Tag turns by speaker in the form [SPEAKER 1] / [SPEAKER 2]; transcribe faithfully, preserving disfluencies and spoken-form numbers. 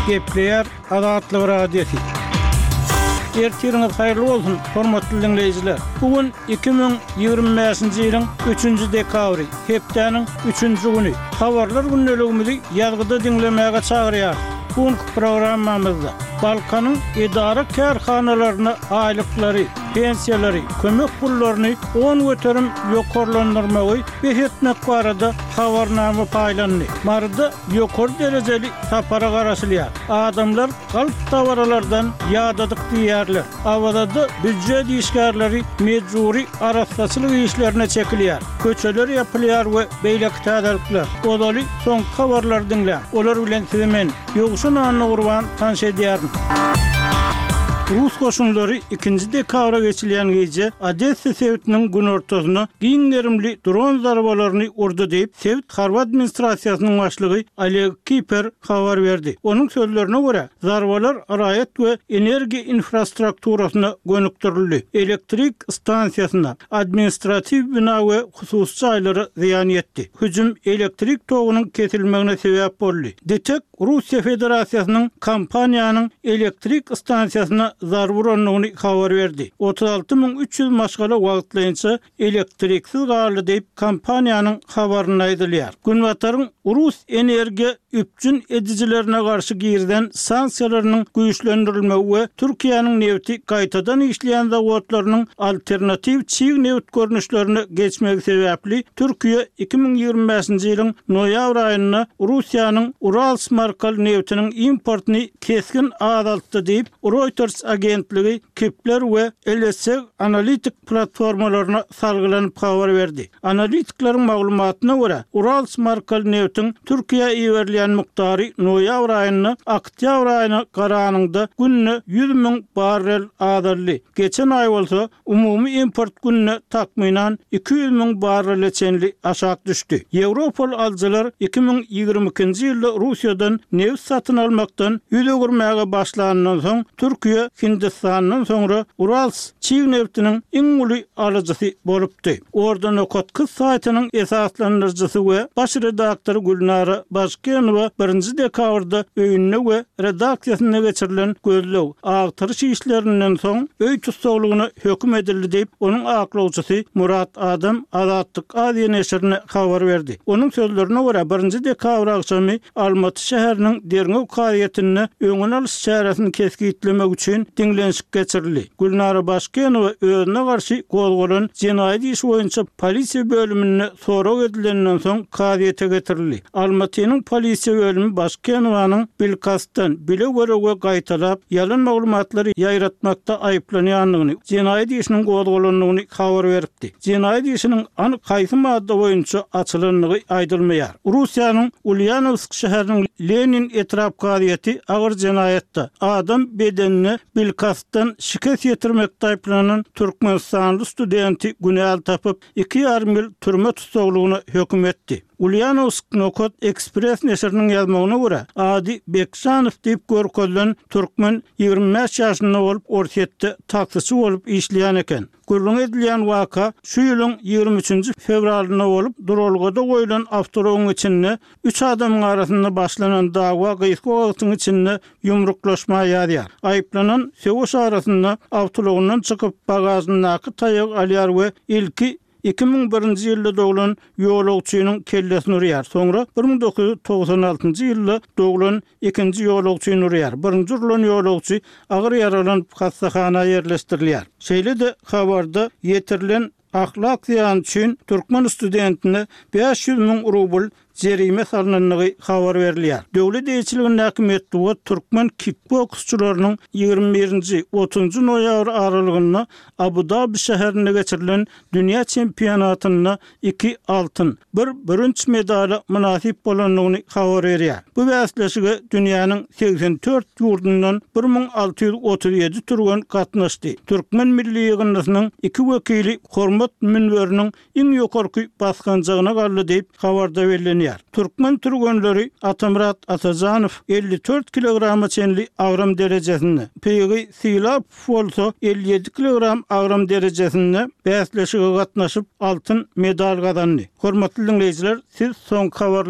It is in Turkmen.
[SPEAKER 1] Gepleýär Azatlyk Radiosy. Ertiriňiz haýyrly bolsun, hormatly diňleýjiler. Bu gün iki müň ýigrimi bäşinji ýylyň üçünji dekabry, hepdäniň üçünji güni. Habarlar gündeligimizi ýazgyda diňlemäge çagyrýarys. Bu günki programmamyzda Balkanyň edara-kärhanalaryna aýlyklary, pensiýalary, kömek pullaryny on göterim ýokarlandyrmagy bes etmek barada habarnama paýlandy. Maryda ýokary derejeli sapara garaşylýar. Adamlar galp dabaralardan ýadadyk diýýärler. Awazada býujet işgärleri mejbury arassaçylyk işlerine çekilýär. Köçeler ýapylýar we beýleki täzelikler. Ozaly soňky habarlary diňläň. Olar bilen sizi men, Ýowşan Annagurban tanyş edýärin. Rus goşunlary ikinji dekabra geçilýän gije Odessa sebitiniň günortasyna giň gerimli dron zarbalaryny urdy diýip, sebit harby administrasiýasynyň başlygy Oleg Kiper habar berdi. Onuň sözlerine görä, zarbalar raýat we energiýa infrastrukturasyna gönükdirildi, elektrik stansiýasyna, administratiw bina we hususy jaýlara zyýan ýetdi. Hüjüm elektrik togunyň kesilmegine sebäp boldy. DTEK Russiýa Federasiýasynyň kompaniýanyň elektrik stansiýasyna zarba urandygyny habar berdi. Otuz alty müň üç ýüz maşgala wagtlaýynça elektriksiz galdy diýip, kompaniýanyň habarynda aýdylýar. Günbataryň rus energiýa üpjün edijilerine garşy girizen sanksiýalarynyň güýçlendirilmegi we Türkiýäniň nebiti gaýtadan işleýän zawodlarynyň alternatiw çig nebit görnüşlerine geçmegi sebäpli Türkiýe iki müň ýigrimi bäşinji ýylyň noýabr aýynda Russiýanyň Urals markaly nebitiniň importyny kesgin azaltdy diýip, Reuters agentligi Kpler we LSEG analitik platformalaryna salgylanyp habar berdi. Analitikleriň maglumatyna görä, Urals markaly nebitiň Türkiýä iberilýän mukdary noýabr aýynda oktýabr aýyna garanyňda günde ýüz müň barrel azaldy. Geçen aý bolsa umumy import günde takmynan iki ýüz müň barrele çenli aşak düşdi. Ýewropaly alyjylar iki müň ýigrimi ikinji ýylda Russiýadan nebit satyn almakdan ýüz öwürmäge başlanyndan soň, Türkiýe Hindistandan soňra Urals çig nebitiniň iň uly alyjysy bolupdy. Orda nokat kyz saýtynyň esaslandyryjysy we baş redaktory Gülnara Başkenowa birinji dekabrda öýünde we redaksiýasynda geçirilen gözleg, agtaryş işlerinden soň öý tussaglygyna höküm edildi diýip, onuň aklawçysy Murat Adam Azatlyk Aziýa neşirine habar berdi. Onuň sözlerine görä, birinji dekabr agşamy Almaty şäheriniň derňew kazyýetinde öňüni alyş çäresini kesgitlemek üçin diňlenişik geçirildi. Gülnara Başkenowa özüne garşy gozgalan jenaýat işi boýunça polisiýa bölüminde sorag edilenden soň kazyýete getirildi. Almatynyň polisiýa bölümi Başkenowanyň bilkastdan, bile-göre we gaýtalap ýalan maglumatlary ýaýratmakda aýyplanýandygyny, jenaýat işiniň gozgalandygyny habar beripdi. Jenaýat işiniň anyk haýsy madda boýunça açylandygy aýdylmaýar. Russiýanyň Ulýanowsk şäheriniň Lenin etrap kazyýeti agyr jenaýatda, adam bedenine bilkastdan şikes ýetirmekde aýyplanan türkmenistanly studenti günäli tapyp, iki ýarym ýyl türme tussaglygyna höküm etdi. Ulýanowsk nokat Ekspress neşiriniň ýazmagyna görä, ady Bekjanow diýip görkezilen türkmen ýigrimi bäş ýaşynda bolup, Orsýetde taksiçi bolup işleýän eken. Gürrüňi edilýän waka şu ýylyň ýigrimi üçünji fewralynda bolup, duralgada goýlan awtoulagyň içinde üç adamyň arasynda başlanan dawa gysga wagtyň içinde ýumruklaşma ýazýar. Aýyplanan söweş arasynda awtoulagyndan çykyp, bagažyndaky taýagy alýar we ilki iki müň birinji ýylda doglan ýolagçynyň kellesini urýar, soňra bir müň dokuz ýüz togsan altynjy ýylda doglan ikinji ýolagçyny urýar. Birinji urlan ýolagçy agyr ýaralanyp, hassahana ýerleşdirilýär. Şeýle-de habarda ýetirilen ahlak zyýany üçin türkmen studentine bäş ýüz müň rubl jerime salnandygy habar berilýär. Döwlet eýeçiligindäki metbugat türkmen kikboksçylarynyň ýigrimi birinji, otuzynjy noýabr aralygynda Abu-Dabi şäherinde geçirilen dünýä çempionatynda iki altyn, bir bürünç medala mynasyp bolandygyny habar berýär. Bu bäsleşige dünýäniň segsen dört ýurdundan bir müň alty ýüz otuz ýedi türgen gatnaşdy. Türkmen milli ýygyndysynyň iki wekili hormat münberiniň iň ýokarky basgançagyna galdy diýip, habarda bellenýär. Türkmen türgenleri Atamyrat Atajanow elli dört kilograma çenli agram derejesinde, Pygy Sylapow bolsa elli ýedi kilogram agram derejesinde bäsleşige gatnaşyp, altyn medal gazandy. Hormatly diňleýjiler, siz soňky habarlary